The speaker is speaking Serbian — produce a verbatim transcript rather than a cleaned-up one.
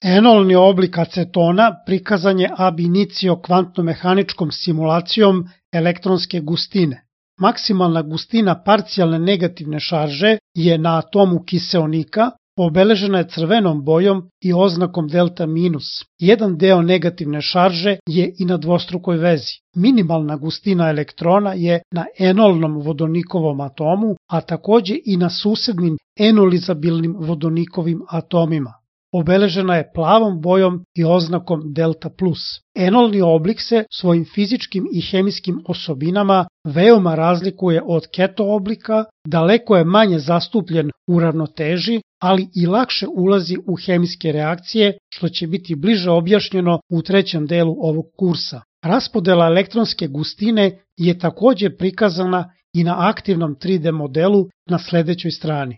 Enolni oblik acetona prikazan je ab initio kvantno-mehaničkom simulacijom elektronske gustine. Maksimalna gustina parcijalne negativne šarže je na atomu kiseonika, obeležena je crvenom bojom i oznakom delta minus. Jedan deo negativne šarže je i na dvostrukoj vezi. Minimalna gustina elektrona je na enolnom vodonikovom atomu, a takođe i na susednim enolizabilnim vodonikovim atomima. Obeležena je plavom bojom i oznakom delta plus. Enolni oblik se svojim fizičkim i hemijskim osobinama veoma razlikuje od keto oblika, daleko je manje zastupljen u ravnoteži, ali i lakše ulazi u hemijske reakcije, što će biti bliže objašnjeno u trećem delu ovog kursa. Raspodela elektronske gustine je takođe prikazana i na aktivnom tri D modelu na sledećoj strani.